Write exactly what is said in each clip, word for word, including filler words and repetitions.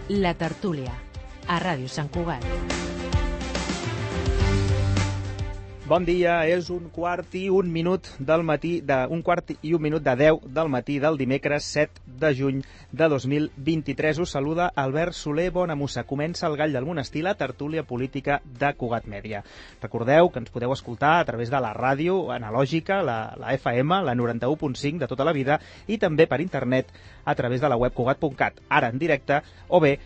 La Tertúlia, a Ràdio Sant Cugat. Bon dia, és un quart i un minut del matí, de, un quart i un minut de deu del matí del dimecres set de juny de dos mil vint-i-tres. Us saluda Albert Soler Bonamussa. Comença el Gall del Monestir, la tertúlia política de Cugat Mèdia. Recordeu que ens podeu escoltar a través de la ràdio analògica, la, la F M, la noranta-u punt cinc de tota la vida, i també per internet a través de la web cugat punt cat, ara en directe, o bé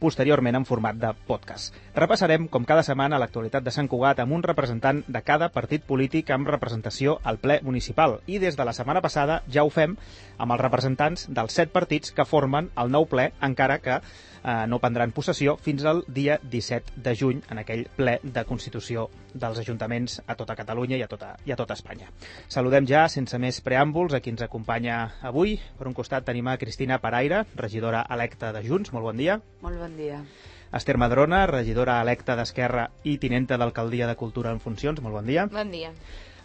posteriorment en format de podcast. Repassarem, com cada setmana, l'actualitat de Sant Cugat amb un representant de cada partit polític amb representació al ple municipal. I des de la setmana passada ja ho fem amb els representants dels set partits que formen el nou ple, encara que eh, no prendran possessió fins al dia disset de juny, en aquell ple de constitució dels ajuntaments a tota Catalunya i a tota, i a tota Espanya. Saludem ja, sense més preàmbuls, a qui ens acompanya avui. Per un costat tenim a Cristina Paraire, regidora electa de Junts. Molt bon dia. Molt bon dia. Esther Madrona, regidora electa d'Esquerra i tinenta d'Alcaldia de Cultura en funcions. Molt bon dia. Bon dia.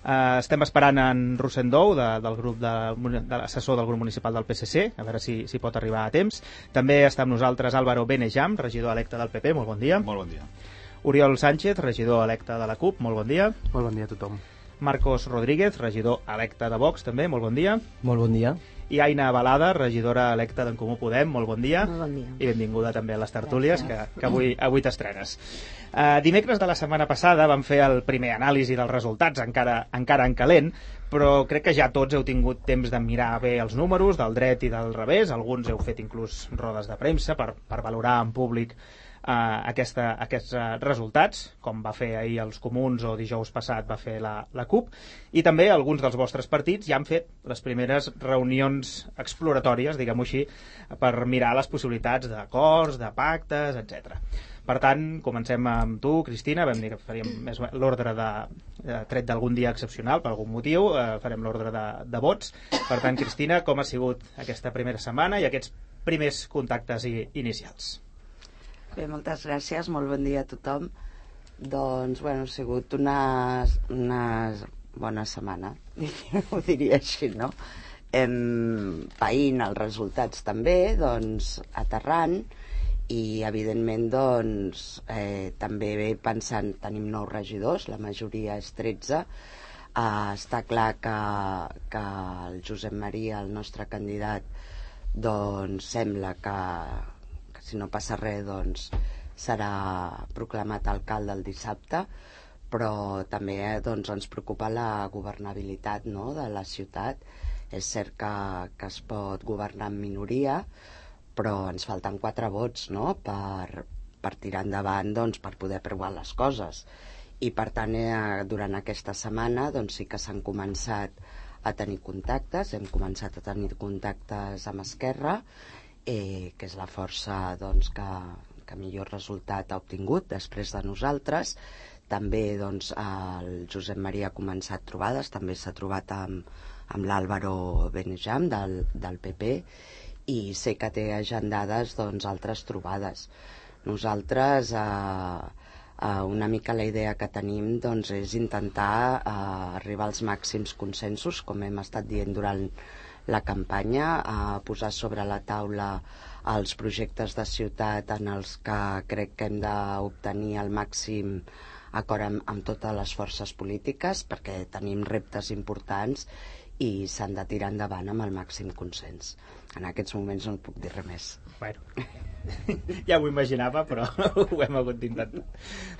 Uh, estem esperant en Rosendou, de, del grup de, de l'assessor del grup municipal del P S C, a veure si, si pot arribar a temps. També està amb nosaltres Álvaro Benejam, regidor electe del P P. Molt bon dia. Molt bon dia. Oriol Sánchez, regidor electe de la CUP. Molt bon dia. Molt bon dia a tothom. Marcos Rodríguez, regidor electe de Vox, també. Molt bon dia. Molt bon dia. I Aina Balada, regidora electa d'en Comú Podem. Molt bon dia. Molt bon dia. I benvinguda també a les tertúlies, que, que avui, avui t'estrenes. Uh, dimecres de la setmana passada vam fer el primer anàlisi dels resultats, encara, encara en calent, però crec que ja tots heu tingut temps de mirar bé els números del dret i del revés. Alguns heu fet inclús rodes de premsa per, per valorar en públic uh, aquesta, aquests uh, resultats, com va fer ahir els comuns o dijous passat va fer la, la CUP, i també alguns dels vostres partits ja han fet les primeres reunions exploratòries, diguem-ho així, per mirar les possibilitats d'acords, de pactes, etcètera. Per tant, comencem amb tu, Cristina. Vam dir que faríem més l'ordre de, de tret d'algun dia excepcional, per algun motiu, eh, farem l'ordre de, de vots. Per tant, Cristina, com ha sigut aquesta primera setmana i aquests primers contactes i, inicials? Bé, moltes gràcies, molt bon dia a tothom. Doncs, bueno, ha sigut una, una bona setmana, ho diria així, no? Hem païnt els resultats també, doncs, aterrant, i evidentment doncs eh, també pensant, tenim nou regidors, la majoria és tretze, eh, està clar que, que el Josep Maria, el nostre candidat, doncs sembla que, que si no passa res doncs serà proclamat alcalde el dissabte, però també eh, doncs, ens preocupa la governabilitat, no?, de la ciutat. És cert que, que es pot governar en minoria, però ens falten quatre vots, no?, per, per tirar endavant, doncs, per poder aprovar les coses. I per tant, eh, durant aquesta setmana doncs, sí que s'han començat a tenir contactes, hem començat a tenir contactes amb Esquerra, eh, que és la força doncs, que, que millor resultat ha obtingut després de nosaltres. També doncs, el Josep Maria ha començat trobades, també s'ha trobat amb, amb l'Álvaro Benejam del, del P P, i sé que té agendades doncs, altres trobades. Nosaltres, eh, eh, una mica la idea que tenim doncs, és intentar eh, arribar als màxims consensos, com hem estat dient durant la campanya, eh, posar sobre la taula els projectes de ciutat en els que crec que hem d'obtenir el màxim acord amb, amb totes les forces polítiques, perquè tenim reptes importants i s'han de tirar endavant amb el màxim consens. En aquests moments no puc dir res més. Bueno, ja ho imaginava, però ho hem hagut d'intentar.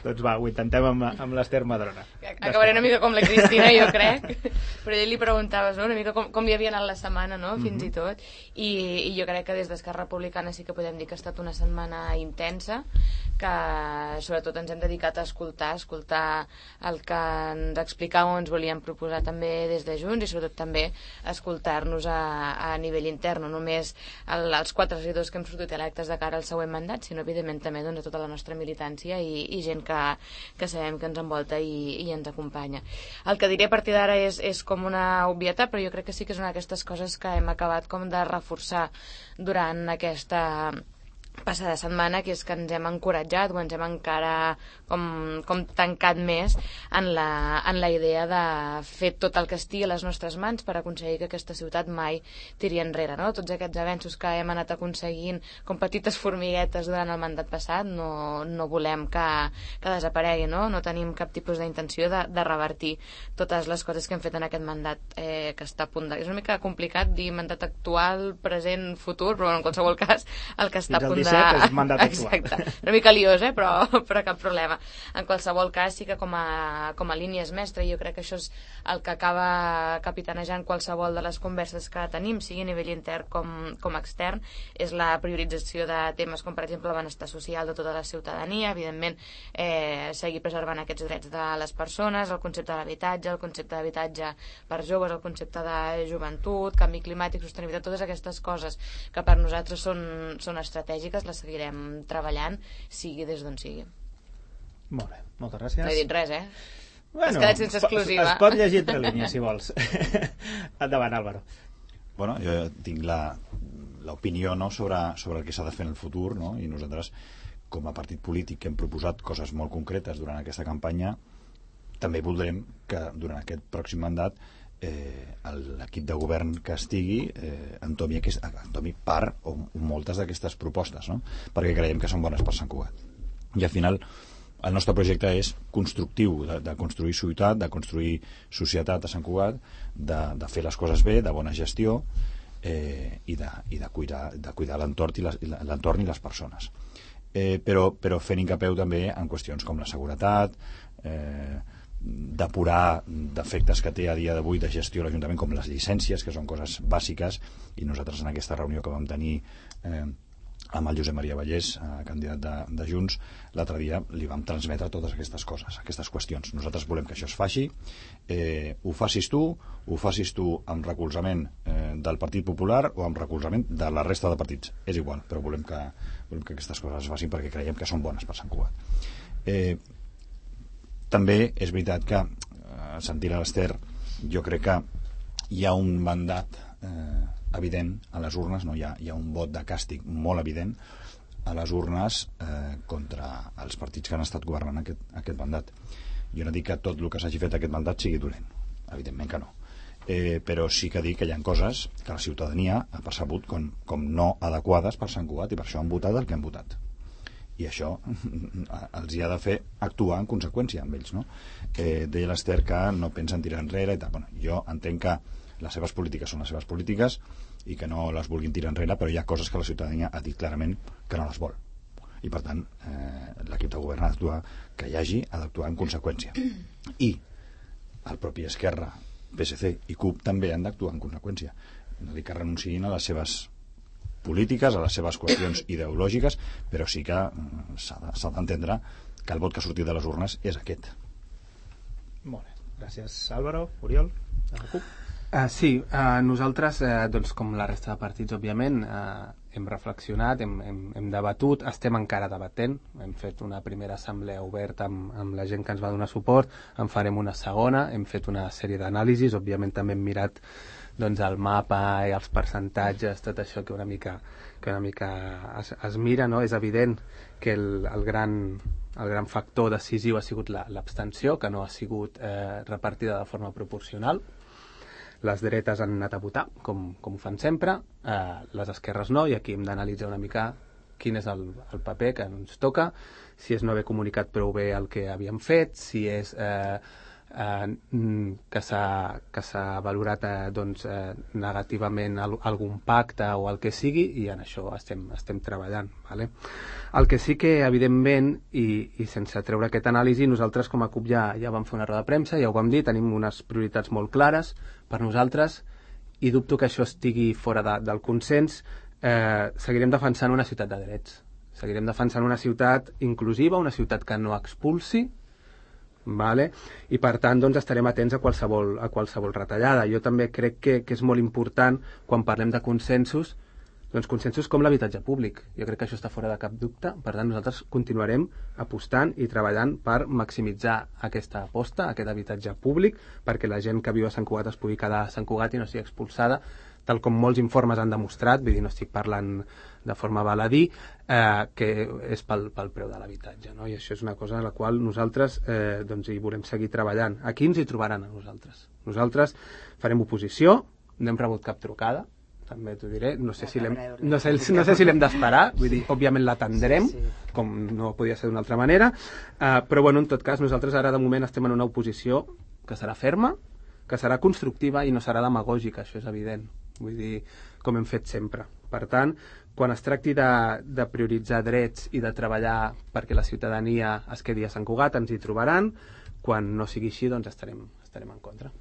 Doncs va, ho intentem amb, amb l'Esther Madrona. Acabaré una mica com la Cristina, jo crec, però ell li preguntaves, no?, una mica com, com li havia anat la setmana, no?, fins mm-hmm. i tot, I, i jo crec que des d'Esquerra Republicana sí que podem dir que ha estat una setmana intensa, que sobretot ens hem dedicat a escoltar, escoltar el que ens explicàveu o ens volien proposar també des de Junts, i sobretot també escoltar-nos a, a nivell intern, no només el, els quatre regidors que hem sortit electes de cara al següent mandat, sinó evidentment també doncs, a tota la nostra militància i, i gent que, que sabem que ens envolta i, i ens acompanya. El que diré a partir d'ara és, és com una obvietat, però jo crec que sí que és una d'aquestes coses que hem acabat com de reforçar durant aquesta passada setmana, que és que ens hem encoratjat o ens hem encara com, com tancat més en la, en la idea de fer tot el que estigui a les nostres mans per aconseguir que aquesta ciutat mai tiri enrere, no? Tots aquests avenços que hem anat aconseguint com petites formiguetes durant el mandat passat no, no volem que, que desaparegui, no? No tenim cap tipus d'intenció de, de revertir totes les coses que hem fet en aquest mandat eh, que està a punt de... És una mica complicat dir mandat actual, present, futur, però en qualsevol cas el que està a punt de... és mandat actual. Exacte, una mica liós, eh? però, però cap problema. En qualsevol cas, sí que com a, com a línies mestres, jo crec que això és el que acaba capitanejant qualsevol de les converses que tenim, sigui a nivell intern com, com extern, és la priorització de temes com, per exemple, el benestar social de tota la ciutadania, evidentment, eh, seguir preservant aquests drets de les persones, el concepte de l'habitatge, el concepte d'habitatge per joves, el concepte de joventut, canvi climàtic, sostenibilitat, totes aquestes coses que per nosaltres són, són estratègiques, les seguirem treballant, sigui des d'on sigui. Molt bé, moltes gràcies. No he dit res, eh? Bueno, Has quedat sense exclusiva. Es, es pot llegir entre línies, si vols. Endavant, Álvaro. Bueno, jo tinc la l'opinió, no, sobre, sobre el que s'ha de fer en el futur, no? I nosaltres, com a partit polític que hem proposat coses molt concretes durant aquesta campanya, també voldrem que durant aquest pròxim mandat eh, l'equip de govern que estigui eh, entomi, aquest, entomi part o moltes d'aquestes propostes, no? Perquè creiem que són bones per Sant Cugat. I al final el nostre projecte és constructiu, de, de construir ciutat, de construir societat a Sant Cugat, de, de fer les coses bé, de bona gestió eh, i, de, i de cuidar, de cuidar l'entorn i, les, i l'entorn i les persones. Eh, però, però fent incapeu també en qüestions com la seguretat, eh, depurar defectes que té a dia d'avui de gestió l'Ajuntament, com les llicències, que són coses bàsiques, i nosaltres en aquesta reunió que vam tenir eh, amb el Josep Maria Vallès, eh, candidat de, de Junts, l'altre dia li vam transmetre totes aquestes coses, aquestes qüestions. Nosaltres volem que això es faci, eh, ho facis tu, ho facis tu amb recolzament eh, del Partit Popular o amb recolzament de la resta de partits, és igual, però volem que, volem que aquestes coses es facin perquè creiem que són bones per Sant Cugat. Eh, també és veritat que, eh, sentint a l'Ester, jo crec que hi ha un mandat eh, evident a les urnes, no? hi, ha, hi ha un vot de càstig molt evident a les urnes eh, contra els partits que han estat governant aquest, aquest mandat. Jo no dic que tot el que s'hagi fet aquest mandat sigui dolent, evidentment que no, eh, però sí que dic que hi ha coses que la ciutadania ha percebut com, com no adequades per Sant Cugat i per això han votat el que han votat. I això els hi ha de fer actuar en conseqüència amb ells, no? Eh, deia l'Ester que no pensen tirar enrere i tal. Bueno, jo entenc que les seves polítiques són les seves polítiques i que no les vulguin tirar enrere, però hi ha coses que la ciutadania ha dit clarament que no les vol. I per tant, eh, l'equip de govern ha d'actuar, que hi hagi, ha d'actuar en conseqüència. I el propi Esquerra, P S C i CUP també han d'actuar en conseqüència. No dic que renunciïn a les seves polítiques, a les seves qüestions ideològiques, però sí que s'ha d'entendre que el vot que ha sortit de les urnes és aquest. Molt bé, gràcies Álvaro. Oriol, de la CUP. Uh, sí, uh, nosaltres, uh, doncs, com la resta de partits, òbviament, uh, hem reflexionat, hem, hem, hem debatut, estem encara debatent, hem fet una primera assemblea oberta amb, amb la gent que ens va donar suport, en farem una segona, hem fet una sèrie d'anàlisis, òbviament també hem mirat doncs, el mapa i els percentatges, tot això que una mica, que una mica es, es mira, no? És evident que el, el, gran, el gran factor decisiu ha sigut l'abstenció, que no ha sigut eh, repartida de forma proporcional. Les dretes han anat a votar, com, com ho fan sempre, eh, les esquerres no, i aquí hem d'analitzar una mica quin és el, el paper que ens toca, si és no haver comunicat prou bé el que havíem fet, si és eh, eh, que s'ha que s'ha valorat eh, doncs, eh, negativament al, algun pacte o el que sigui, i en això estem, estem treballant. Vale? El que sí que, evidentment, i, i sense treure aquest anàlisi, nosaltres com a CUP ja, ja vam fer una roda de premsa, ja ho vam dir, tenim unes prioritats molt clares per nosaltres, i dubto que això estigui fora de, del consens. Eh, seguirem defensant una ciutat de drets, seguirem defensant una ciutat inclusiva, una ciutat que no expulsi, vale? I per tant doncs, estarem atents a qualsevol, a qualsevol retallada. Jo també crec que, que és molt important, quan parlem de consensos, doncs consensos com l'habitatge públic. Jo crec que això està fora de cap dubte, per tant nosaltres continuarem apostant i treballant per maximitzar aquesta aposta, aquest habitatge públic, perquè la gent que viu a Sant Cugat es pugui quedar a Sant Cugat i no sigui expulsada tal com molts informes han demostrat, vull dir, no estic parlant de forma baladí, eh, que és pel, pel preu de l'habitatge, no? I això és una cosa a la qual nosaltres eh, doncs hi volem seguir treballant. Aquí ens hi trobaran a nosaltres. Nosaltres farem oposició, no hem rebut cap trucada, també t'ho diré, no sé si l'hem no sé, no sé si l'hem d'esperar, vull dir, òbviament l'atendrem, sí, sí. com no podia ser d'una altra manera, uh, però bueno, en tot cas, nosaltres ara de moment estem en una oposició que serà ferma, que serà constructiva i no serà demagògica, això és evident, vull dir, com hem fet sempre. Per tant, quan es tracti de, de prioritzar drets i de treballar perquè la ciutadania es quedi a Sant Cugat, ens hi trobaran, quan no sigui així, doncs estarem, estarem en contra.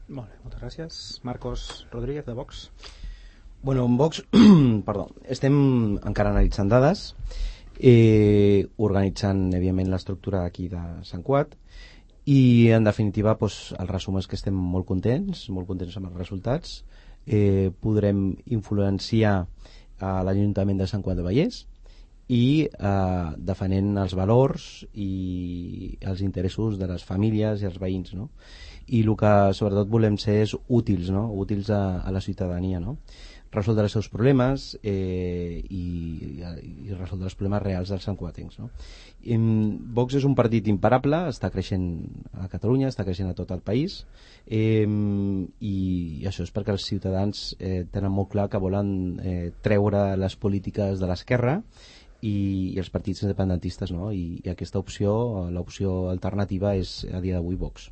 Molt bé, moltes gràcies. Marcos Rodríguez, de Vox. Bueno, en Vox, perdó, estem encara analitzant dades, eh, organitzant, evidentment, l'estructura aquí de Sant Cugat i, en definitiva, doncs, el resum és que estem molt contents, molt contents amb els resultats. Eh, podrem influenciar a l'Ajuntament de Sant Cugat del Vallès i eh, defenent els valors i els interessos de les famílies i els veïns, no? I el que sobretot volem ser és útils, no? Útils a, a la ciutadania, no? Resoldre els seus problemes eh, i, i resoldre els problemes reals dels santcugatencs, no? I, Vox és un partit imparable, està creixent a Catalunya, està creixent a tot el país, eh, i això és perquè els ciutadans eh, tenen molt clar que volen eh, treure les polítiques de l'esquerra i, i els partits independentistes, no? I, i aquesta opció, l'opció alternativa és a dia d'avui Vox.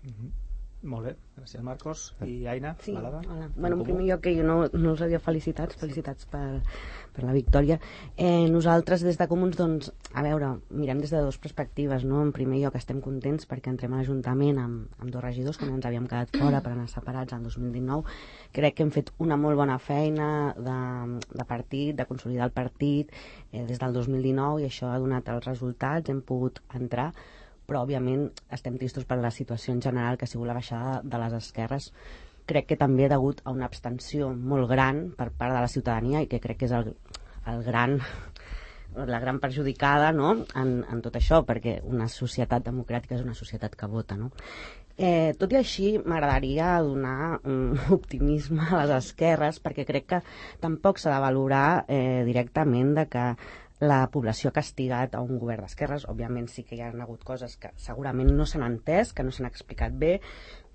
Mm-hmm. Molt bé, gràcies Marcos. I Aina, sí, Balada? Hola. Bueno, en primer lloc, que jo no, no us havia felicitats, felicitats per, per la victòria. Eh, nosaltres, des de Comuns, doncs, a veure, mirem des de dues perspectives, no? En primer lloc, estem contents perquè entrem a l'Ajuntament amb, amb dos regidors, que no ens havíem quedat fora per anar separats el dos mil dinou. Crec que hem fet una molt bona feina de, de partit, de consolidar el partit eh, des del dos mil dinou, i això ha donat els resultats, hem pogut entrar, però òbviament estem tristos per la situació en general, que ha sigut la baixada de les esquerres. Crec que també degut a una abstenció molt gran per part de la ciutadania, i que crec que és el, el gran, la gran perjudicada, no? en, en tot això, perquè una societat democràtica és una societat que vota, no? Eh, tot i així, m'agradaria donar un optimisme a les esquerres, perquè crec que tampoc s'ha de valorar eh, directament de que la població ha castigat a un govern d'esquerres. Òbviament sí que hi ha hagut coses que segurament no s'han entès, que no s'han explicat bé,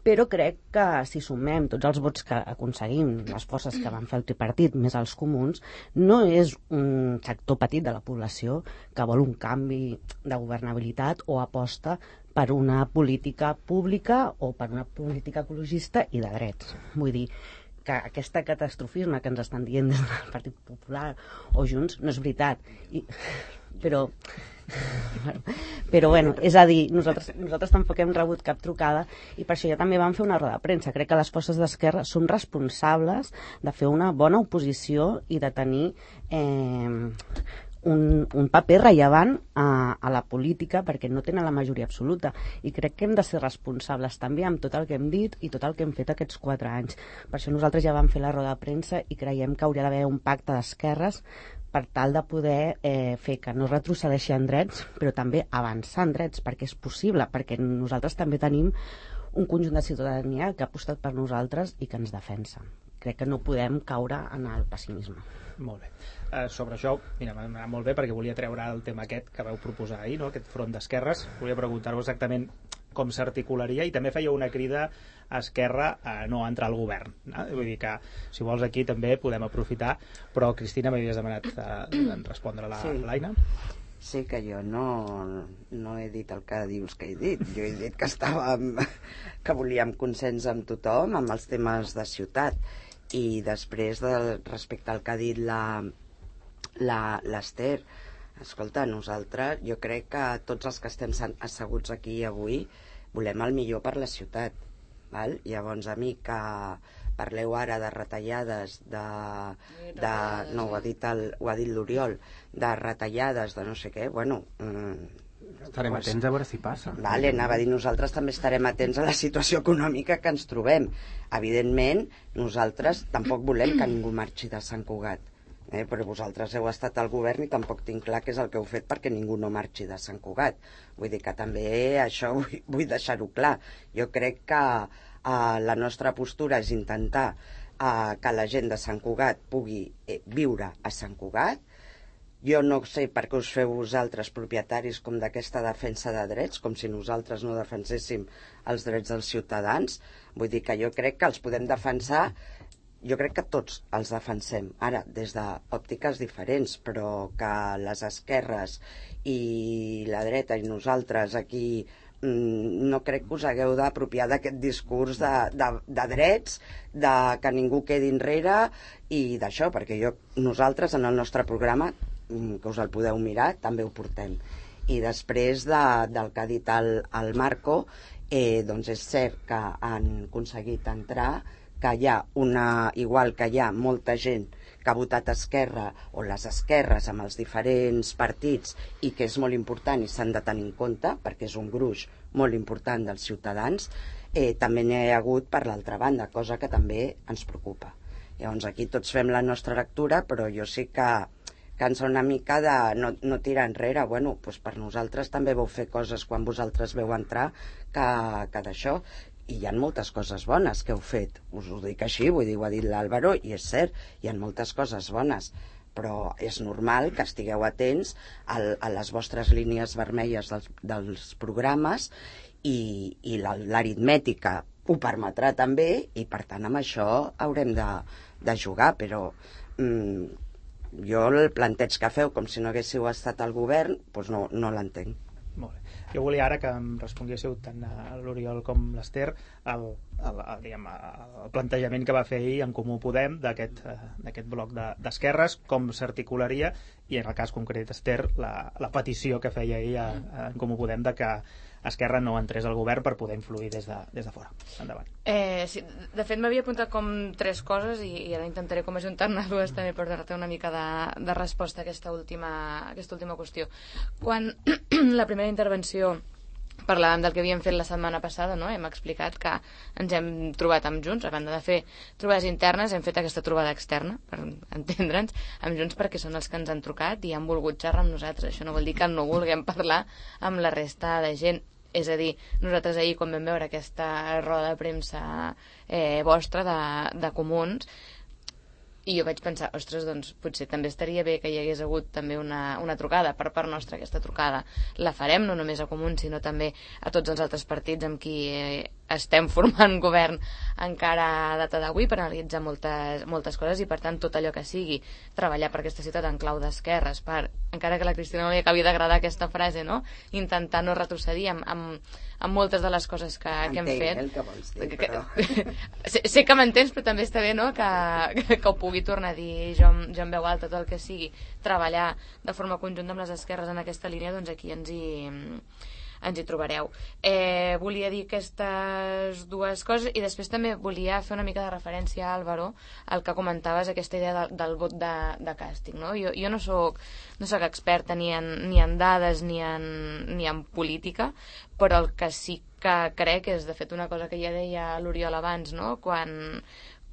però crec que si sumem tots els vots que aconseguim, les forces que van fer el tripartit, més els comuns, no és un sector petit de la població que vol un canvi de governabilitat o aposta per una política pública o per una política ecologista i de drets. Vull dir, que aquest catastrofisme que ens estan dient des del Partit Popular o Junts no és veritat. I, però, però bueno, és a dir, nosaltres, nosaltres tampoc hem rebut cap trucada, i per això ja també vam fer una roda de premsa. Crec que les forces d'esquerra som responsables de fer una bona oposició i de tenir eh, un, un paper rellevant a, a la política, perquè no tenen la majoria absoluta, i crec que hem de ser responsables també amb tot el que hem dit i tot el que hem fet aquests quatre anys. Per això nosaltres ja vam fer la roda de premsa i creiem que hauria d'haver un pacte d'esquerres per tal de poder eh, fer que no retrocedeixi en drets, però també avançar en drets, perquè és possible, perquè nosaltres també tenim un conjunt de ciutadania que ha apostat per nosaltres i que ens defensa. Crec que no podem caure en el pessimisme. Molt bé. Uh, sobre això, mira, m'ha anat molt bé perquè volia treure el tema aquest que vau proposar ahir, no? Aquest front d'esquerres. Volia preguntar-vos exactament com s'articularia, i també feia una crida a Esquerra a no entrar al govern, no? Vull dir que, si vols, aquí també podem aprofitar, però Cristina, m'havies demanat uh, respondre a la, sí. l'Aina. Sí, que jo no, no he dit el que dius que he dit. Jo he dit que estàvem, que volíem consens amb tothom, amb els temes de ciutat. I després, de, respecte al que ha dit la, la, l'Ester, escolta, nosaltres, jo crec que tots els que estem asseguts aquí avui volem el millor per la ciutat, val? Llavors, a mi que parleu ara de retallades, de, de no, ho ha dit, el, ho ha dit l'Oriol, de retallades, de no sé què, bueno... Mm, estarem pues, atents a veure si passa. Vale, anava a dir, nosaltres també estarem atents a la situació econòmica que ens trobem. Evidentment, nosaltres tampoc volem que ningú marxi de Sant Cugat, eh? Però vosaltres heu estat al govern i tampoc tinc clar què és el que heu fet perquè ningú no marxi de Sant Cugat. Vull dir que també això vull, vull deixar-ho clar. Jo crec que eh, la nostra postura és intentar a que la gent de Sant Cugat pugui eh, viure a Sant Cugat. Jo no sé per què us feu vosaltres propietaris com d'aquesta defensa de drets, com si nosaltres no defenséssim els drets dels ciutadans. Vull dir que jo crec que els podem defensar, jo crec que tots els defensem, ara, des d'òptiques diferents, però que les esquerres i la dreta i nosaltres aquí no crec que us hagueu d'apropiar d'aquest discurs de, de, de drets, de que ningú quedi enrere i d'això, perquè jo, nosaltres en el nostre programa, que us el podeu mirar, també ho portem. I després de, del que ha dit el, el Marco, eh, doncs és cert que han aconseguit entrar, que hi ha una, igual que hi ha molta gent que ha votat Esquerra o les esquerres amb els diferents partits i que és molt important i s'han de tenir en compte perquè és un gruix molt important dels ciutadans, eh, també n'hi ha hagut per l'altra banda, cosa que també ens preocupa. Llavors aquí tots fem la nostra lectura, però jo sí que cansa una mica de no, no tirar enrere. Bueno, doncs per nosaltres també vau fer coses quan vosaltres veu entrar que, que d'això. I hi ha moltes coses bones que heu fet, us ho dic així, vull dir, ho ha dit l'Àlvaro, i és cert, hi ha moltes coses bones, però és normal que estigueu atents a, a les vostres línies vermelles dels, dels programes i, i l'aritmètica ho permetrà també, i per tant amb això haurem de, de jugar, però mm, jo el planteig que feu com si no haguéssiu estat al govern, doncs no, no l'entenc. Molt bé. Jo volia ara que em responguéssiu tant l'Oriol com l'Ester el, el, el, diguem, el plantejament que va fer ahir en Comú Podem d'aquest uh, bloc d'esquerres, de, com s'articularia, i en el cas concret Ester, la, la petició que feia ahir a, a, en Comú Podem de que Esquerra no entrés al govern per poder influir des de, des de fora. Endavant. Eh, sí, de fet m'havia apuntat com tres coses i, i ara intentaré com ajuntar-ne dues també per donar-te una mica de, de resposta a aquesta última, aquesta última qüestió. Quan la primera intervenció parlàvem del que havíem fet la setmana passada, no? Hem explicat que ens hem trobat amb Junts, a banda de fer trobades internes, hem fet aquesta trobada externa, per entendre'ns, amb Junts perquè són els que ens han trucat i han volgut xerrar amb nosaltres. Això no vol dir que no vulguem parlar amb la resta de gent. És a dir, nosaltres ahir, quan vam veure aquesta roda de premsa eh, vostra de, de Comuns, i jo vaig pensar, ostres, doncs potser també estaria bé que hi hagués hagut també una, una trucada per part nostra. Aquesta trucada la farem no només a Comuns, sinó també a tots els altres partits amb qui eh, estem formant govern encara a data d'avui per analitzar moltes, moltes coses, i per tant tot allò que sigui treballar per aquesta ciutat en clau d'esquerres, per, encara que a la Cristina no li acabi d'agradar aquesta frase, no? Intentar no retrocedir amb, amb, amb moltes de les coses que, que hem fet. El que vols dir, però... sé, sé que m'entens, però també està bé, no?, que, que, que ho pugui tornar a dir jo, jo en veu alta, tot el que sigui treballar de forma conjunta amb les esquerres en aquesta línia, doncs aquí ens hi ens hi trobareu. Eh, volia dir aquestes dues coses i després també volia fer una mica de referència a Álvaro, al que comentaves, aquesta idea de, del vot de, de càstig, no? Jo, jo no soc no soc experta ni en, ni en dades ni en, ni en política, però el que sí que crec és, de fet, una cosa que ja deia l'Oriol abans, no? Quan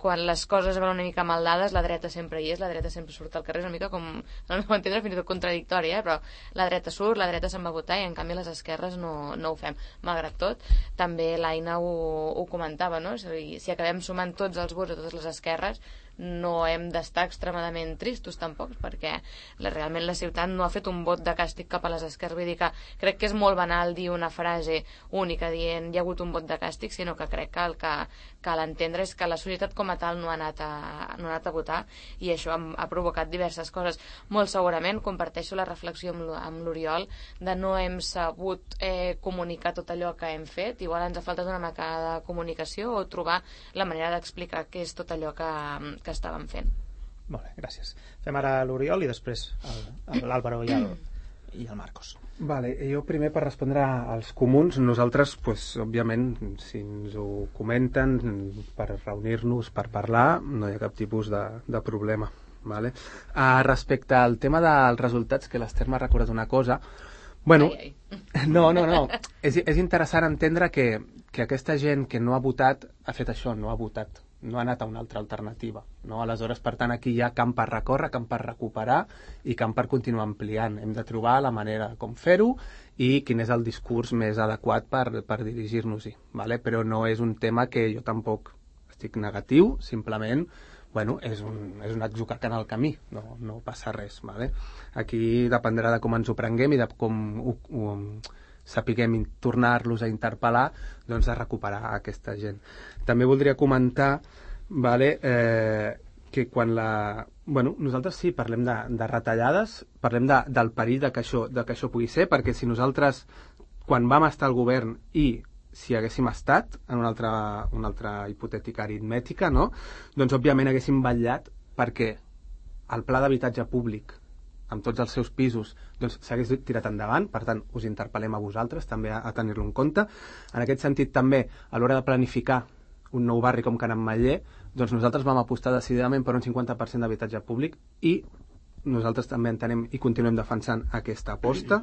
quan les coses van una mica mal dades, la dreta sempre hi és, la dreta sempre surt al carrer, és una mica com, no m'ho entendre, fins i tot contradictori, eh? Però la dreta surt, la dreta se'n va votar i en canvi les esquerres no, no ho fem. Malgrat tot, també l'Aina ho, ho comentava, no? Si, si acabem sumant tots els vots a totes les esquerres, no hem d'estar extremadament tristos tampoc, perquè la, realment la ciutat no ha fet un vot de càstig cap a les esquerres. Vull dir que crec que és molt banal dir una frase única dient hi ha hagut un vot de càstig, sinó que crec que el que cal entendre és que la societat com a tal no ha anat a, no ha anat a votar, i això ha, ha provocat diverses coses. Molt segurament comparteixo la reflexió amb l'Oriol de no hem sabut eh, comunicar tot allò que hem fet. Igual ens ha faltat una mica de comunicació o trobar la manera d'explicar què és tot allò que que estàvem fent. Molt bé, gràcies. Fem ara l'Oriol i després l'Àlvaro i, el, i el Marcos. Vale, jo primer per respondre als comuns, nosaltres, pues, òbviament, si ens ho comenten per reunir-nos, per parlar, no hi ha cap tipus de, de problema. Vale? Uh, respecte al tema dels resultats, que l'Ester m'ha recordat una cosa, bueno, ai, ai. no, no, no, és, és interessant entendre que, que aquesta gent que no ha votat ha fet això, no ha votat, no ha anat a una altra alternativa, no? Aleshores, per tant, aquí hi ha camp per recórrer, camp per recuperar i camp per continuar ampliant. Hem de trobar la manera com fer-ho i quin és el discurs més adequat per, per dirigir-nos-hi, vale? Però no és un tema que jo tampoc estic negatiu, simplement bueno, és un, és un atzucac en el camí, no, no passa res. Vale? Aquí dependrà de com ens ho prenguem i de com ho, ho sapiguem tornar-los a interpel·lar, doncs de recuperar aquesta gent. També voldria comentar, vale, eh, que quan la... Bueno, nosaltres sí, parlem de, de retallades, parlem de, del perill de que, això, de que això pugui ser, perquè si nosaltres, quan vam estar al govern i si haguéssim estat en una altra, una altra hipotètica aritmètica, no? Doncs òbviament haguéssim vetllat perquè el pla d'habitatge públic amb tots els seus pisos doncs s'hagués tirat endavant, per tant us interpel·lem a vosaltres també a, a tenir-lo en compte. En aquest sentit també, a l'hora de planificar un nou barri com Can Ametller, doncs nosaltres vam apostar decididament per un cinquanta per cent d'habitatge públic i nosaltres també entenem i continuem defensant aquesta aposta.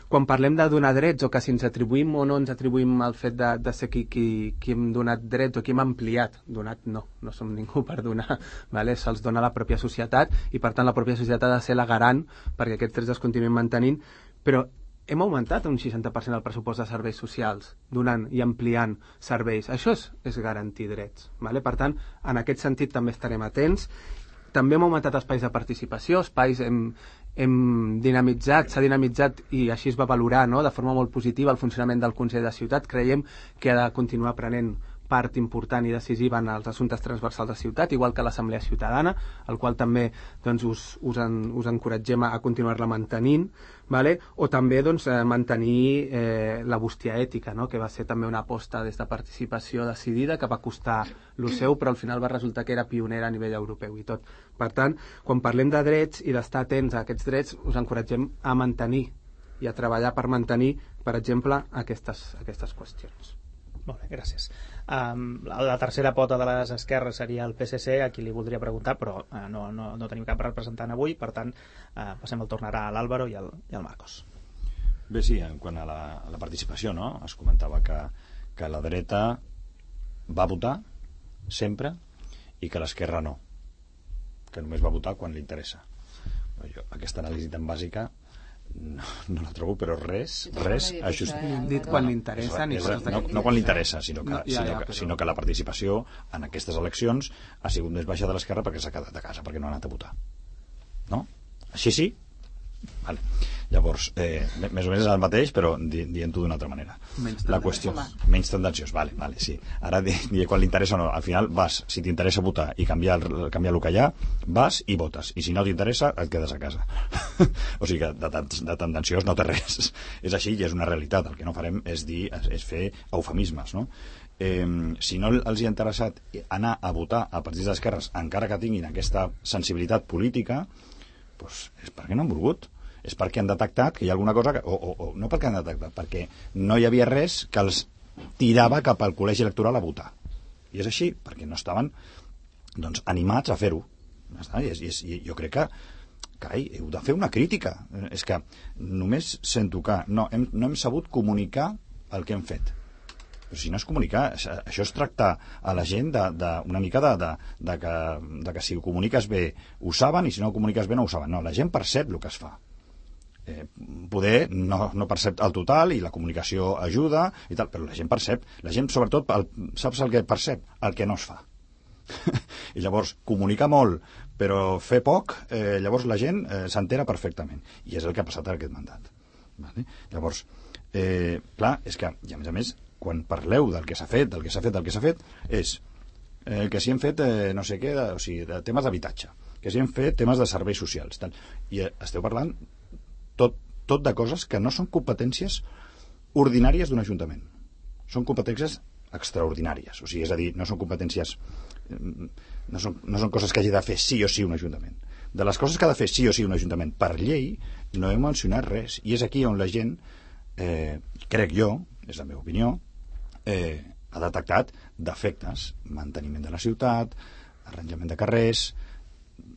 Quan parlem de donar drets o que si ens atribuïm o no ens atribuïm el fet de, de ser qui, qui, qui hem donat drets o qui hem ampliat, donat no, no som ningú per donar, vale? Se'ls dona la pròpia societat i per tant la pròpia societat ha de ser la garant perquè aquests drets es continuïn mantenint, però hem augmentat un seixanta per cent el pressupost de serveis socials, donant i ampliant serveis. Això és, és garantir drets. Vale? Per tant, en aquest sentit també estarem atents. També hem augmentat espais de participació, espais hem, hem dinamitzat, s'ha dinamitzat i així es va valorar, no?, de forma molt positiva el funcionament del Consell de Ciutat. Creiem que ha de continuar prenent part important i decisiva en els assumptes transversals de ciutat, igual que l'Assemblea Ciutadana, el qual també doncs, us, us, en, us encoratgem a continuar-la mantenint, vale? O també doncs, eh, mantenir eh, la bústia ètica, no? Que va ser també una aposta des de participació decidida, que va costar lo seu, però al final va resultar que era pionera a nivell europeu i tot. Per tant, quan parlem de drets i d'estar atents a aquests drets, us encoratgem a mantenir i a treballar per mantenir, per exemple, aquestes, aquestes qüestions. Molt bé, gràcies. Um, la, la tercera pota de les esquerres seria el P S C, a qui li voldria preguntar, però uh, no, no, no tenim cap representant avui, per tant, uh, passem el tornarà a l'Àlvaro i al, i al Marcos. Bé, sí, en quant a la, a la participació, no? Es comentava que, que la dreta va votar sempre i que l'esquerra no, que només va votar quan li interessa. Jo, aquesta anàlisi tan bàsica no, no la trobo, però res, res ajust... dit quan li interessa ni no, no, no quan li interessa, sinó que, no, ja, sinó, ja, que, però... sinó que la participació en aquestes eleccions ha sigut més baixa de l'esquerra perquè s'ha quedat a casa, perquè no ha anat a votar, no? Així sí? Vale. Llavors, eh, més o menys és el mateix, però di, dient-ho d'una altra manera. Menys la qüestió, menys tendenciós, vale, vale, sí. Ara, di, di, quan li interessa o no, al final vas, si t'interessa votar i canviar, canviar el que hi ha, vas i votes, i si no t'interessa, et quedes a casa. O sigui que de, de tendenciós no té res. És així i és una realitat. El que no farem és dir, és, és fer eufemismes, no? Eh, si no els hi ha interessat anar a votar a partits d'esquerres, encara que tinguin aquesta sensibilitat política, doncs és perquè no han volgut. És perquè han detectat que hi ha alguna cosa que, o, o, o no perquè han detectat, perquè no hi havia res que els tirava cap al col·legi electoral a votar. I és així, perquè no estaven doncs, animats a fer-ho. I, és, i, és, i jo crec que carai, heu de fer una crítica. És que només sento que no hem, no hem sabut comunicar el que hem fet. Però si no és comunicar, això és tractar a la gent de, de, una mica de, de, de, que, de que si ho comuniques bé ho saben i si no ho comuniques bé no ho saben. No, la gent percep el que es fa. Eh, poder no, no percep el total i la comunicació ajuda i tal, però la gent percep, la gent sobretot el, saps el que percep? El que no es fa. I llavors comunicar molt però fer poc, eh, llavors la gent eh, s'entera perfectament i és el que ha passat en aquest mandat, vale? Llavors eh, clar, és que i a més a més quan parleu del que s'ha fet del que s'ha fet, del que s'ha fet és eh, que si hem fet eh, no sé què de, o sigui, de temes d'habitatge, que si hem fet temes de serveis socials tal. I eh, esteu parlant Tot, tot de coses que no són competències ordinàries d'un ajuntament. Són competències extraordinàries. O sigui, és a dir, no són competències... No són, no són coses que hagi de fer sí o sí un ajuntament. De les coses que ha de fer sí o sí un ajuntament per llei, no he mencionat res. I és aquí on la gent, eh, crec jo, és la meva opinió, eh, ha detectat defectes. Manteniment de la ciutat, arranjament de carrers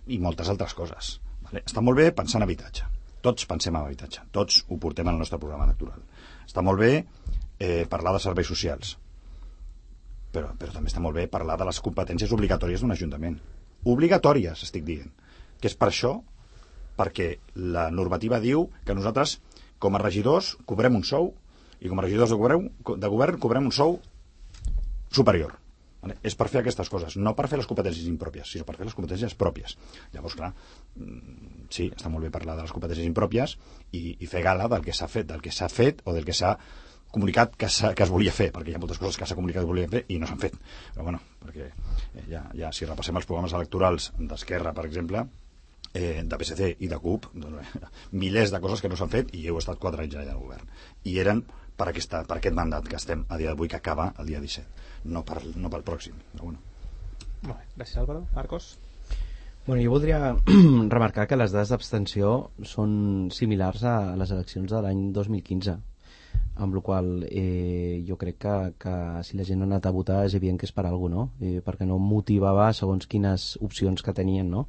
i moltes altres coses. Vale? Està molt bé pensar en habitatge. Tots pensem en habitatge, tots ho portem al nostre programa electoral. Està molt bé eh, parlar de serveis socials, però, però també està molt bé parlar de les competències obligatòries d'un ajuntament. Obligatòries, estic dient, que és per això, perquè la normativa diu que nosaltres, com a regidors, cobrem un sou, i com a regidors de govern, de govern cobrem un sou superior. Vale? És per fer aquestes coses, no per fer les competències impròpies, sinó per fer les competències pròpies. Llavors, clar, sí, està molt bé parlar de les competències impròpies i, i fer gala del que s'ha fet, del que s'ha fet o del que s'ha comunicat que, que es volia fer, perquè hi ha moltes coses que s'ha comunicat que es volien fer i no s'han fet. Però bueno, perquè ja, ja si repassem els programes electorals d'Esquerra, per exemple, eh, de P S C i de C U P, doncs, milers de coses que no s'han fet i heu estat quatre anys allà al govern. I eren per, aquesta, per aquest mandat que estem a dia d'avui, que acaba el dia disset, no, per, no pel pròxim. Però bueno. Molt bé, gràcies Álvaro. Marcos? Bueno, jo voldria remarcar que les dades d'abstenció són similars a les eleccions de l'any dos mil quinze, amb la qual eh, jo crec que, que si la gent ha anat a votar és evident que és per alguna cosa, no? Eh, perquè no motivava segons quines opcions que tenien, no?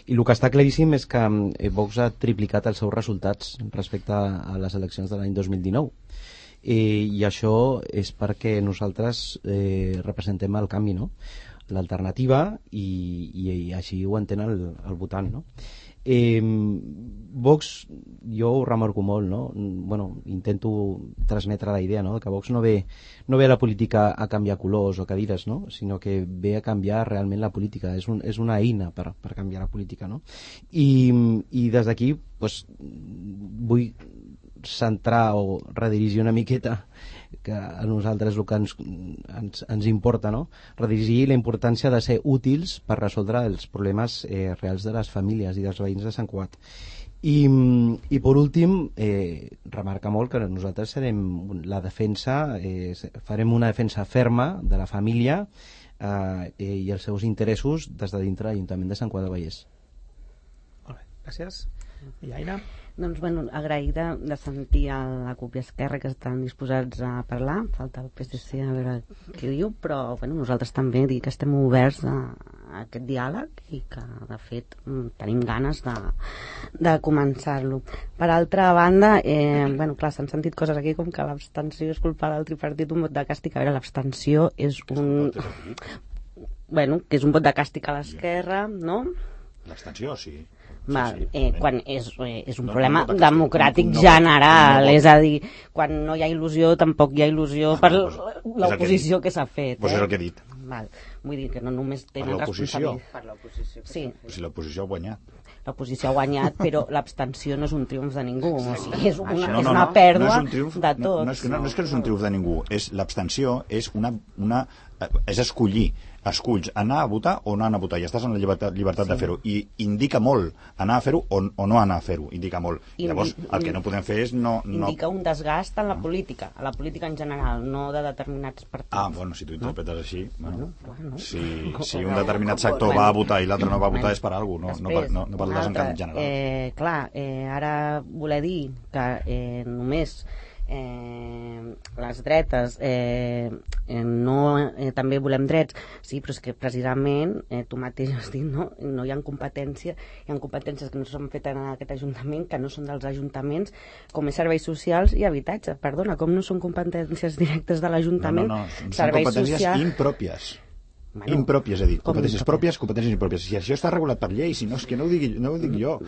I el que està claríssim és que eh, Vox ha triplicat els seus resultats respecte a les eleccions de l'any dos mil dinou. Eh, I això és perquè nosaltres eh, representem el canvi, no? L'alternativa, i, i, i així ho entén el, el votant, no? Eh, Vox, jo ho remarco molt, no? Bueno, intento transmetre la idea, no? Que Vox no ve, no ve a la política a canviar colors o cadires, no? Sinó que ve a canviar realment la política, és, un, és una eina per, per canviar la política, no? I, i des d'aquí pues, vull centrar o redirigir una miqueta que a nosaltres el que ens, ens, ens importa, no? Redirigir la importància de ser útils per resoldre els problemes eh, reals de les famílies i dels veïns de Sant Cugat. I, i per últim, eh, remarca molt que nosaltres serem la defensa, eh, farem una defensa ferma de la família eh, i els seus interessos des de dintre l'Ajuntament de Sant Cugat del Vallès. Molt bé, gràcies. I Aina? Doncs, bueno, agraïda de sentir a la C U P i Esquerra que estan disposats a parlar. Falta el P S C a veure què diu, però bueno, nosaltres també dir que estem oberts a, a aquest diàleg i que, de fet, tenim ganes de, de començar-lo. Per altra banda, eh, bueno, clar, s'han sentit coses aquí com que l'abstenció és culpa del tripartit, un vot de càstig. A veure, l'abstenció és un... bueno, que és un vot de càstig a l'esquerra, no? L'abstenció, sí. Val, sí, sí, eh, quan és, eh, és un no, problema no, no, democràtic no, no, general, no, no, és a dir, quan no hi ha il·lusió tampoc hi ha il·lusió per pues, l'oposició que, que s'ha fet. Pues eh? és el que he dit. Val. Vull dir que no només tenen l'oposició. responsabilitat. Per l'oposició. Sí. Pues si l'oposició ha guanyat. L'oposició ha guanyat, però l'abstenció no és un triomf de ningú. O sigui, és una, no, no, és una no, pèrdua no és un triomf, de tots. No, no, és que, no, no és que no és un triomf de ningú. És l'abstenció és una, una és escollir. Esculls anar a votar o no anar a votar i estàs en la llibertat, llibertat sí. de fer-ho i indica molt anar a fer-ho o, o no anar a fer-ho, indica molt. Indi Llavors el que no podem fer és no... no... Indica un desgast en la política, a la política en general, no de determinats partits. Ah, bueno, si tu interpretes no? així, bueno, bueno, si, si un determinat sector va a votar i l'altre no va a votar és per alguna cosa, no, no, no, no per el desencant general. Eh, clar, eh, ara voler dir que eh, només Eh, les dretes eh, eh, no, eh, també volem drets, sí, però és que precisament eh, tu mateix has dit, no? No hi ha competència, hi ha competències que no s'han fet en aquest Ajuntament, que no són dels ajuntaments, com és serveis socials i habitatge. Perdona, com no són competències directes de l'Ajuntament? No, no, no, són serveis competències social... impròpies. Bueno, impròpies, és a dir, competències pròpies, competències impròpies. Si això està regulat per llei, si no, és que no ho dic, no ho dic jo.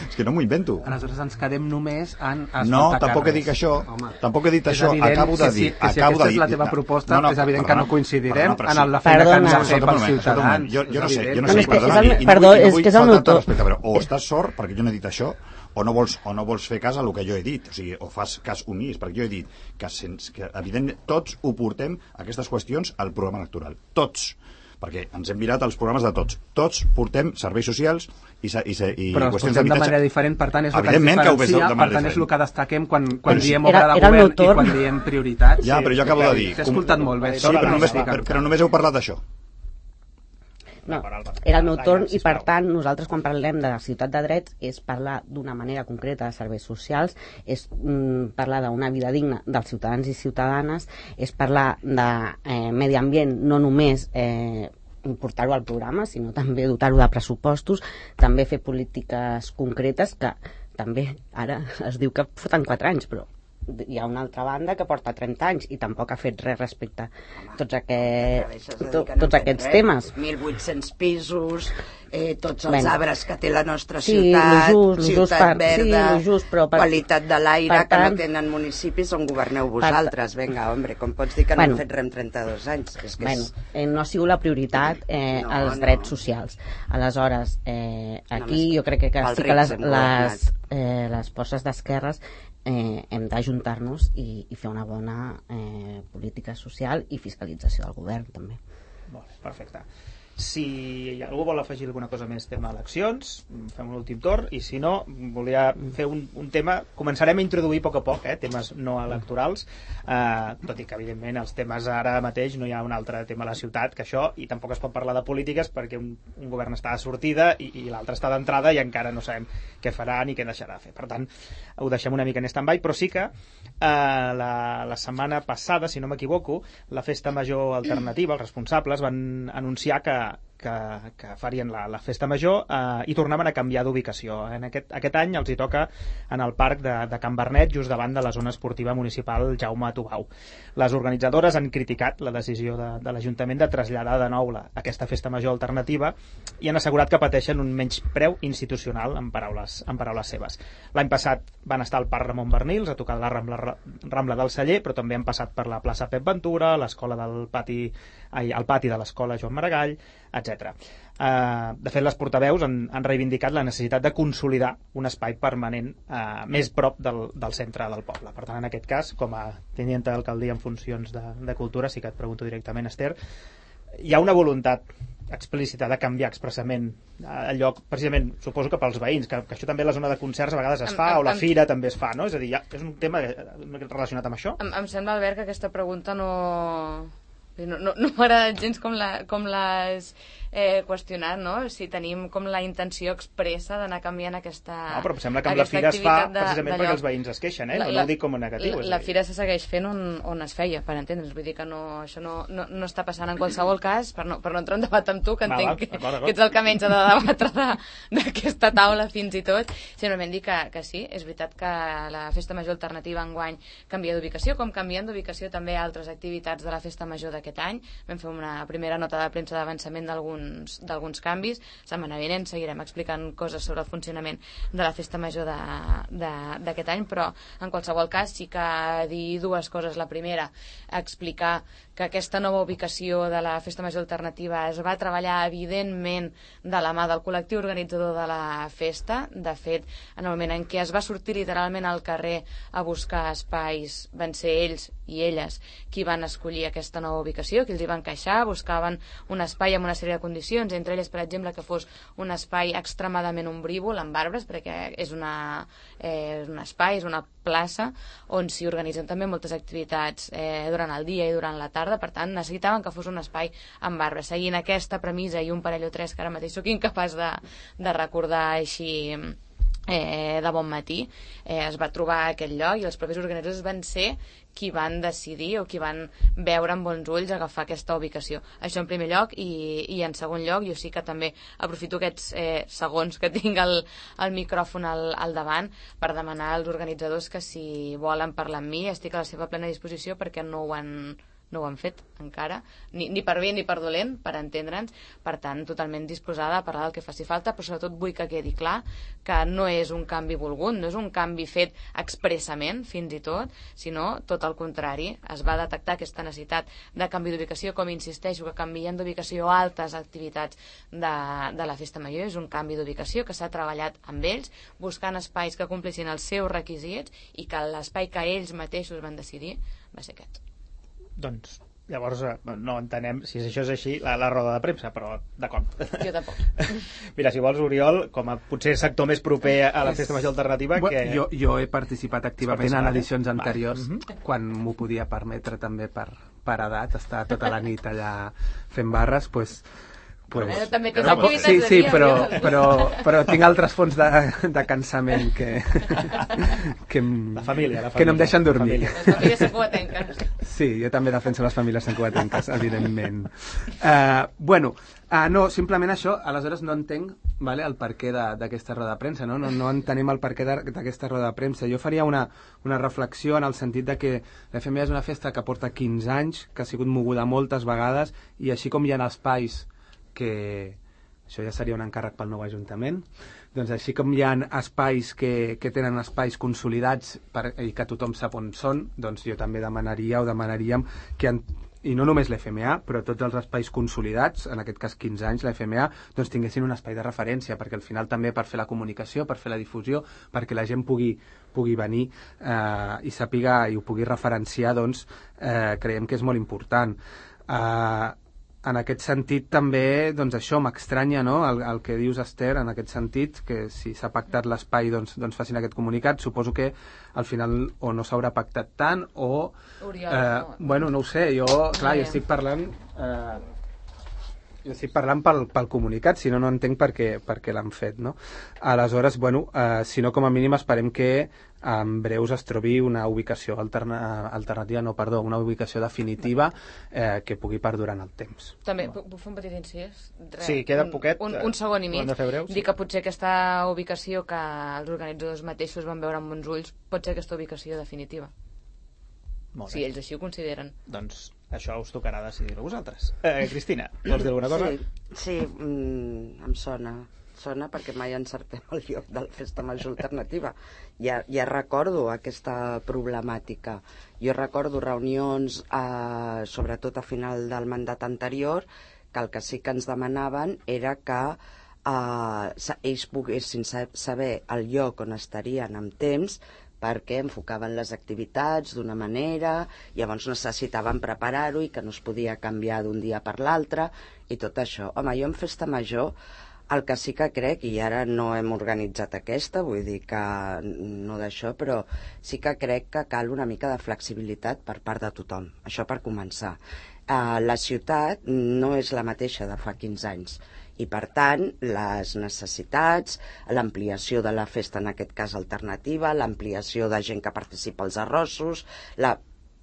És que no m'ho invento. Aleshores ens quedem només en no, tampoc he dit això. Home, tampoc he dit això. Acabo de dir. Que si, que si aquesta és la teva proposta, no, no, és evident perdona, que no coincidirem perdona, en la feina que ens ha fet pels ciutadans. Jo, jo no sé, jo no sé, sé, perdona, i, perdó, és que és el meu to. O estàs sort, perquè jo no he dit això, o no vols, o no vols fer cas a el que jo he dit, o sigui, o fas cas omís, perquè jo he dit que, sens, que evidentment tots ho portem, aquestes qüestions, al programa electoral. Tots. Perquè ens hem mirat els programes de tots. Tots portem serveis socials i, i, i però qüestions d'habitatge. Però de manera diferent, per tant, és el que ens diferencia, per tant, és el que destaquem quan, quan diem obra de govern i quan diem prioritats. Ja, però jo acabo de dir... T'he escoltat molt bé. Sí, però només, però, però només heu parlat d'això. No, era el meu torn i per tant nosaltres quan parlem de la ciutat de drets és parlar d'una manera concreta de serveis socials, és mm, parlar d'una vida digna dels ciutadans i ciutadanes, és parlar de eh, medi ambient, no només eh, portar-ho al programa, sinó també dotar-ho de pressupostos, també fer polítiques concretes que també ara es diu que foten quatre anys, però hi ha una altra banda que porta trenta anys i tampoc ha fet res respecte a tots, aquest, to, tots aquests temes. mil vuit-cents pisos, eh, tots els bueno, arbres que té la nostra sí, ciutat, lo just, ciutat per, verda, sí, just, però per, qualitat de l'aire que tant, no tenen municipis on governeu vosaltres. Per, Vinga, home, com pots dir que bueno, no han fet res en trenta-dos anys? És que bueno, és... eh, no ha sigut la prioritat eh, no, els drets no. socials. Aleshores, eh, aquí jo crec que, que sí que les, les, eh, les forces d'esquerres eh, hem d'ajuntar-nos i, i fer una bona eh, política social i fiscalització del govern també. Molt bé, perfecte. Si algú vol afegir alguna cosa més tema eleccions, fem un últim torn, i si no, volia fer un, un tema, començarem a introduir a poc a poc, eh, temes no electorals, eh, tot i que evidentment els temes ara mateix no hi ha un altre tema a la ciutat que això, i tampoc es pot parlar de polítiques perquè un, un govern està de sortida i, i l'altre està d'entrada i encara no sabem què farà ni què deixarà de fer. Per tant, ho deixem una mica en stand-by, però sí que eh, la, la setmana passada, si no m'equivoco, la Festa Major Alternativa, els responsables van anunciar que Que, que farien la, la festa major eh, i tornaven a canviar d'ubicació. En aquest, aquest any els hi toca en el parc de, de Can Bernet, just davant de la zona esportiva municipal Jaume Tubau. Les organitzadores han criticat la decisió de, de l'Ajuntament de traslladar de nou la, aquesta festa major alternativa i han assegurat que pateixen un menyspreu institucional, en paraules, en paraules seves. L'any passat van estar al Parc Ramon Bernils a tocar la Rambla, Rambla del Celler, però també han passat per la plaça Pep Ventura, l'escola del pati, ai, el pati de l'escola Joan Maragall, etcètera. Uh, de fet, les portaveus han, han reivindicat la necessitat de consolidar un espai permanent uh, més prop del, del centre del poble. Per tant, en aquest cas, com a tinent d'alcaldia en funcions de, de cultura, sí que et pregunto directament, Esther, hi ha una voluntat explícita de canviar expressament el lloc, precisament, suposo que pels veïns, que, que això també a la zona de concerts a vegades es fa, em, o la em, fira també es fa, no? És a dir, ja, és un tema relacionat amb això? Em, em sembla, Albert, que aquesta pregunta no... No, no, no m'ha agradat gens com l'has la, eh, qüestionat, no? Si tenim com la intenció expressa d'anar canviant aquesta No, però em sembla que amb la fira es fa de, precisament de perquè els veïns es queixen, eh? La, no ho dic com a negatiu. La, la fira se segueix fent on, on es feia, per entendre's. Vull dir que no, això no, no, no està passant en qualsevol cas, per no, per no entrar en debat amb tu, que entenc va, va, que, d'acord, d'acord. que ets el que menys ha de debatre d'aquesta taula fins i tot. Simplement dir que, que sí, és veritat que la Festa Major Alternativa enguany canvia d'ubicació, com canvien d'ubicació també altres activitats de la Festa Major d'aquest any. Vam fer una primera nota de premsa d'avançament d'alguns d'alguns canvis. Setmana vinent seguirem explicant coses sobre el funcionament de la Festa Major d'aquest any, però en qualsevol cas sí que dir dues coses. La primera, explicar que aquesta nova ubicació de la Festa Major Alternativa es va treballar evidentment de la mà del col·lectiu organitzador de la festa. De fet, en el moment en què es va sortir literalment al carrer a buscar espais, van ser ells i elles qui van escollir aquesta nova ubicació, que els hi van queixar, buscaven un espai amb una sèrie de condicions, entre elles, per exemple, que fos un espai extremadament ombrívol, amb arbres, perquè és, una, eh, és un espai, és una plaça on s'hi organitzen també moltes activitats eh, durant el dia i durant la tarda, per tant necessitaven que fos un espai amb arbres. Seguint aquesta premissa i un parell o tres que ara mateix sóc incapaç de, de recordar així eh, de bon matí, eh, es va trobar aquest lloc i els propis organitzadors van ser qui van decidir o qui van veure amb bons ulls agafar aquesta ubicació. Això en primer lloc, i, i en segon lloc jo sí que també aprofito aquests eh, segons que tinc el, el micròfon al, al davant per demanar als organitzadors que si volen parlar amb mi estic a la seva plena disposició, perquè no ho han no ho han fet encara, ni, ni per bé ni per dolent, per entendre'ns. Per tant, totalment disposada a parlar del que faci falta, però sobretot vull que quedi clar que no és un canvi volgut, no és un canvi fet expressament, fins i tot, sinó tot el contrari. Es va detectar aquesta necessitat de canvi d'ubicació, com insisteixo, que canvien d'ubicació altres activitats de, de la Festa Major. És un canvi d'ubicació que s'ha treballat amb ells, buscant espais que complissin els seus requisits i que l'espai que ells mateixos van decidir va ser aquest. Doncs llavors no entenem si això és així la, la roda de premsa, però d'acord. Jo tampoc. Mira, si vols, Oriol, com a potser sector més proper a la Festa Major Alternativa, que... Jo, jo he participat activament en edicions anteriors, Va. uh-huh. quan m'ho podia permetre també per, per edat, estar tota la nit allà fent barres, doncs... Pues, eh, també tens tampoc, activitats sí, de sí, dia, però, eh? però, però tinc altres fonts de, de cansament que, que, em, la família, la família, que no em deixen dormir. Les famílies santcugatenques. Sí, jo també defenso les famílies santcugatenques, evidentment. Uh, bueno, uh, no, simplement això, aleshores no entenc vale, el perquè d'aquesta roda de premsa, no? No, no entenem el perquè d'aquesta roda de premsa. Jo faria una, una reflexió en el sentit de que l'F M A és una festa que porta quinze anys, que ha sigut moguda moltes vegades, i així com hi ha espais que... Això ja seria un encàrrec pel nou Ajuntament. Doncs així com hi ha espais que, que tenen espais consolidats per, i que tothom sap on són, doncs jo també demanaria o demanaríem que... En, i no només l'F M A, però tots els espais consolidats, en aquest cas quinze anys, l'F M A, doncs tinguessin un espai de referència, perquè al final també per fer la comunicació, per fer la difusió, perquè la gent pugui, pugui venir eh, i sàpiga i ho pugui referenciar, doncs eh, creiem que és molt important. Eh, en aquest sentit també, doncs això m'estranya, no?, el, el que dius, Esther, en aquest sentit, que si s'ha pactat l'espai doncs, doncs facin aquest comunicat. Suposo que al final o no s'haurà pactat tant o... Oriol, eh, no. Bueno, no ho sé, jo, clar, jo estic parlant... Eh, jo estic parlant pel, pel comunicat, si no, no entenc per què, per què l'han fet, no? Aleshores, bueno, eh, si no, com a mínim esperem que en breus es trobi una ubicació alterna, alternativa, no, perdó, una ubicació definitiva eh, que pugui perdurar en el temps. També, puc fer un petit incís? Res, Sí, queda poquet. Un, un, un segon i mig. Ho hem de fer breu, sí. Dir que potser aquesta ubicació que els organitzadors mateixos van veure amb bons ulls pot ser aquesta ubicació definitiva. Molt bé. Si ells així ho consideren. Doncs això us tocarà decidir-ho vosaltres. Eh, Cristina, vols dir alguna cosa? Sí, sí mm, em sona. Sona perquè mai encertem el lloc de la festa major alternativa. Ja, ja recordo aquesta problemàtica. Jo recordo reunions, eh, sobretot a final del mandat anterior, que el que sí que ens demanaven era que eh, ells poguessin saber el lloc on estarien amb temps, perquè enfocaven les activitats d'una manera, llavors necessitaven preparar-ho i que no es podia canviar d'un dia per l'altre, i tot això. Home, jo en festa major el que sí que crec, i ara no hem organitzat aquesta, vull dir que no d'això, però sí que crec que cal una mica de flexibilitat per part de tothom, això per començar. Uh, la ciutat no és la mateixa de fa quinze anys, i per tant les necessitats, l'ampliació de la festa, en aquest cas alternativa, l'ampliació de gent que participa als arrossos, la...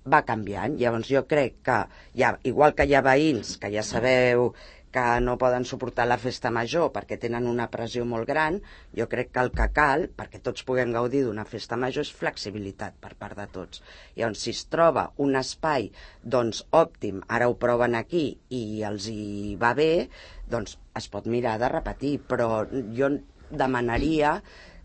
va canviant. Llavors jo crec que, ja, igual que hi ha veïns que ja sabeu que no poden suportar la festa major perquè tenen una pressió molt gran, jo crec que el que cal, perquè tots puguem gaudir d'una festa major, és flexibilitat per part de tots. Llavors, si es troba un espai doncs òptim, ara ho proven aquí i els hi va bé, doncs es pot mirar de repetir, però jo demanaria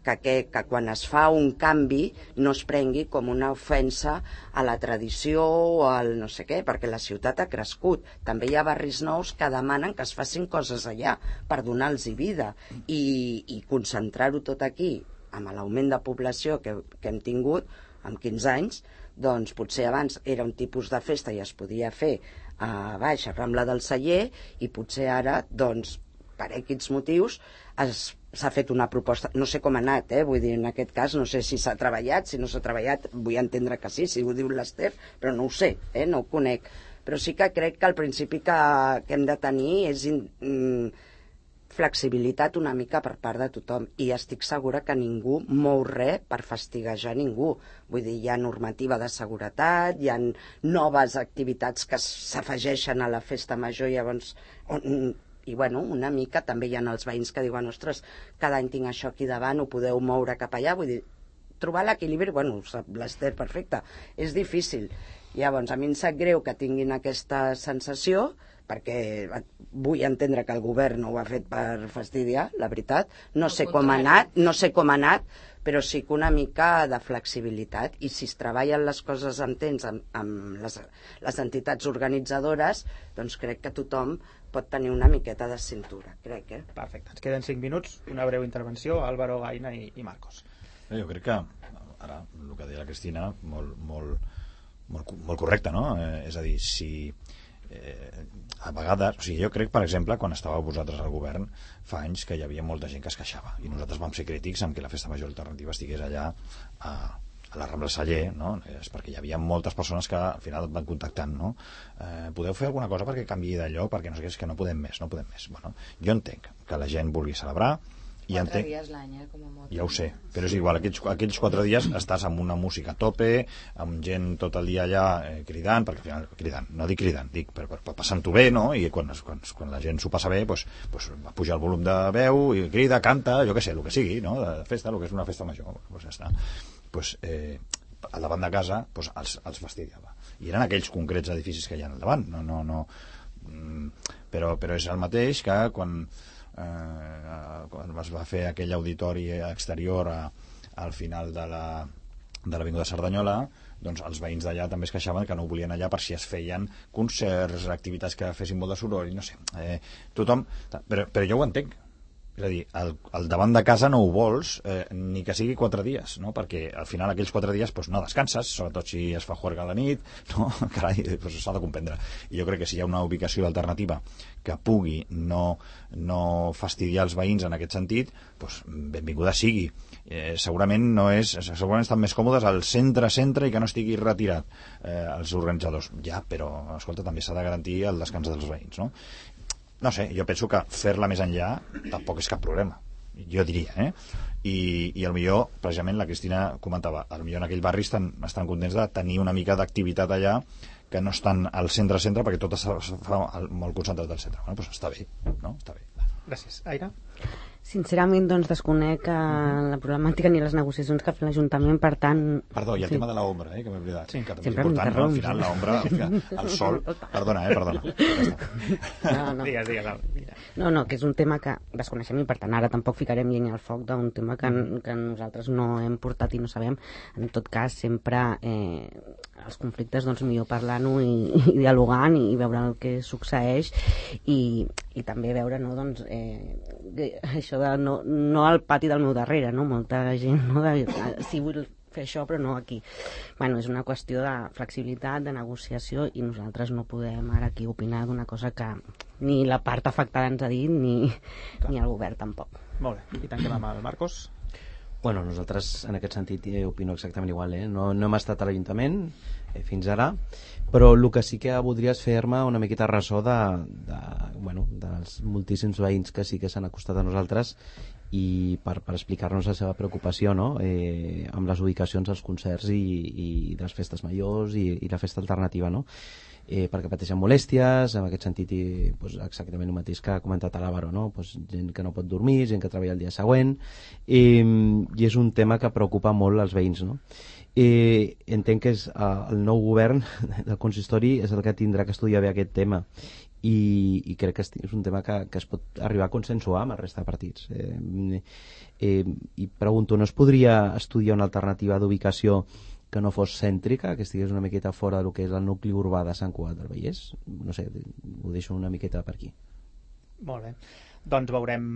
que, que, que quan es fa un canvi no es prengui com una ofensa a la tradició o al no sé què, perquè la ciutat ha crescut. També hi ha barris nous que demanen que es facin coses allà per donar-los vida i, i concentrar-ho tot aquí amb l'augment de població que, que hem tingut en quinze anys, doncs potser abans era un tipus de festa i es podia fer a baix, a Rambla del Celler, i potser ara, doncs, per X motius, es s'ha fet una proposta, no sé com ha anat, eh? Vull dir, en aquest cas no sé si s'ha treballat, si no s'ha treballat, vull entendre que sí, si ho diu l'Ester, però no ho sé, eh? No ho conec. Però sí que crec que el principi que, que hem de tenir és mm, flexibilitat una mica per part de tothom, i estic segura que ningú mou res per fastiguejar ningú. Vull dir, hi ha normativa de seguretat, hi ha noves activitats que s'afegeixen a la festa major, llavors... On, i bueno, una mica també hi ha els veïns que diuen, ostres, cada any tinc això aquí davant, ho podeu moure cap allà, vull dir, trobar l'equilibri, bueno, sap l'Ester perfecte, és difícil. Llavors, a mi em sap greu que tinguin aquesta sensació, perquè vull entendre que el govern no ho ha fet per fastidiar, la veritat, no sé com ha anat, no sé com ha anat, però sí que una mica de flexibilitat, i si es treballen les coses amb temps amb, amb les, les entitats organitzadores, doncs crec que tothom pot tenir una miqueta de cintura, crec, eh? Perfecte, ens queden cinc minuts, una breu intervenció, Álvaro, Aina i, i Marcos. Jo crec que, ara, el que deia la Cristina, molt, molt, molt, molt correcte, no? Eh, és a dir, si eh, a vegades, o sigui, jo crec, per exemple, quan estàveu vosaltres al govern, fa anys que hi havia molta gent que es queixava, i nosaltres vam ser crítics amb que la festa major alternativa estigués allà a a la Rambla Celler, no? És perquè hi havia moltes persones que al final et van contactant, no? Eh, podeu fer alguna cosa perquè canviï de lloc, perquè no sé què, és que no podem més, no podem més. Bueno, jo entenc que la gent vulgui celebrar I quatre entenc... dies l'any, eh, com a moto. Ja ho sé, però és igual, aquells, aquells quatre dies estàs amb una música a tope, amb gent tot el dia allà eh, cridant, perquè al final, cridant, no dic cridant, dic per, per, per passant-ho bé, no? I quan, quan, quan la gent s'ho passa bé, pues, pues, va pujar el volum de veu, i crida, canta, jo què sé, el que sigui, no? De festa, el que és una festa major, pues ja està. Pues, eh, al davant de casa pues, els, els fastidiava. I eren aquells concrets edificis que hi ha al davant, no, no, no, però, però és el mateix que quan Eh, quan es va fer aquell auditori exterior a, al final de la de l'Avinguda Cerdanyola, doncs els veïns d'allà també es queixaven que no volien allà per si es feien concerts, activitats que fessin molt de soroll, no sé, eh, tothom, però, però jo ho entenc. És a dir, al, al davant de casa no ho vols, eh, ni que sigui quatre dies, no? Perquè al final aquells quatre dies pues, no descanses, sobretot si es fa juerga a la nit, no? Carai, pues, s'ha de comprendre. I jo crec que si hi ha una ubicació alternativa que pugui no, no fastidiar els veïns en aquest sentit, pues, benvinguda sigui. Eh, segurament no és, segurament estan més còmodes al centre-centre i que no estigui retirat eh, els organitzadors. Ja, però, escolta, també s'ha de garantir el descans dels veïns, no? No sé, jo penso que fer-la més enllà tampoc és cap problema, jo diria, eh? I, i al millor, precisament la Cristina comentava, al millor en aquell barri estan, estan contents de tenir una mica d'activitat allà que no estan al centre-centre perquè tot es fa molt concentrat al centre. Bueno, doncs està bé, no? Està bé. Gràcies. Aire? Sincerament, doncs, desconec uh, la problemàtica ni les negociacions que ha fet l'Ajuntament, per tant... Perdó, i el sí. tema de l'ombra, eh, que m'he oblidat. Sí. Que també Sempre és important, no? Al final l'ombra, el sol... Perdona, eh, perdona. No, no. Digues, digues. No, no, que és un tema que desconeixem i, per tant, ara tampoc ficarem llenya al foc d'un tema que, que nosaltres no hem portat i no sabem. En tot cas, sempre eh, els conflictes, doncs, millor parlant-ho i, i dialogant i, i veure el que succeeix i, i també veure, no, doncs, eh, això de no, no al pati del meu darrere, no? Molta gent, no? De, sí, vull fer això, però no aquí. Bueno, és una qüestió de flexibilitat, de negociació, i nosaltres no podem ara aquí opinar d'una cosa que ni la part afectada ens ha dit, ni, ni el govern tampoc. Molt bé, i tanquem amb el Marcos. Bueno, nosaltres en aquest sentit eh, opino exactament igual, eh? No, no hem estat a l'Ajuntament eh, fins ara, però el que sí que voldria és fer-me una miqueta ressò de, de, bueno, dels moltíssims veïns que sí que s'han acostat a nosaltres i per, per explicar-nos la seva preocupació, no? eh, amb les ubicacions dels concerts i, i de les festes majors i, i la festa alternativa, no? Eh, perquè pateixen molèsties, en aquest sentit i, pues, exactament el mateix que ha comentat l'Àvaro, no? Pues, gent que no pot dormir, gent que treballa el dia següent, eh, i és un tema que preocupa molt als veïns, no? Eh, entenc que és, eh, el nou govern del consistori és el que tindrà que estudiar bé aquest tema i, i crec que és un tema que, que es pot arribar a consensuar amb el resta de partits. Eh, eh, i pregunto, no es podria estudiar una alternativa d'ubicació que no fos cèntrica, que estigués una miqueta fora del que és el nucli urbà de Sant Cugat del Vallès? No sé, ho deixo una miqueta per aquí. Molt bé. Doncs veurem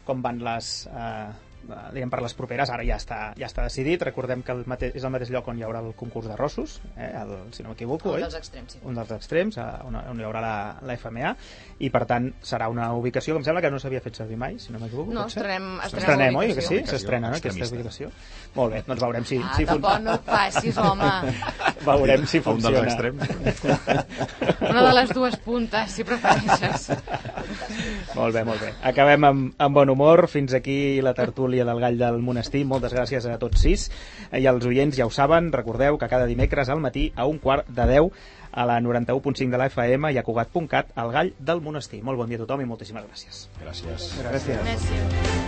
com van les... Eh, diguem per les properes, ara ja està, ja està decidit. Recordem que el mate- és el mateix lloc on hi haurà el concurs de Rossos, eh, el, si no m'equivoco, Un oi? dels extrems, sí. Un dels extrems, eh, on, on hi haurà la, la F M A, i per tant serà una ubicació que em sembla que no s'havia fet servir mai, si no m'equivoco. No, pot ser? estrenem, estrenem, Estrenem, oi? Que ubicació. sí? S'estrena, no? Aquesta ubicació. Molt bé, doncs veurem si, Ah, si tampoc no et passis, home. veurem si Un dels funciona. extrems. Una de les dues puntes, si prefereixes. Molt bé, molt bé. Acabem amb, amb bon humor. Fins aquí la tertúlia del Gall del Monestir. Moltes gràcies a tots sis. I els oients ja ho saben, recordeu que cada dimecres al matí a un quart de deu a la noranta-u punt cinc de la F M i a Cugat punt cat, el Gall del Monestir. Molt bon dia a tothom i moltíssimes gràcies. Gràcies. Gràcies. Gràcies.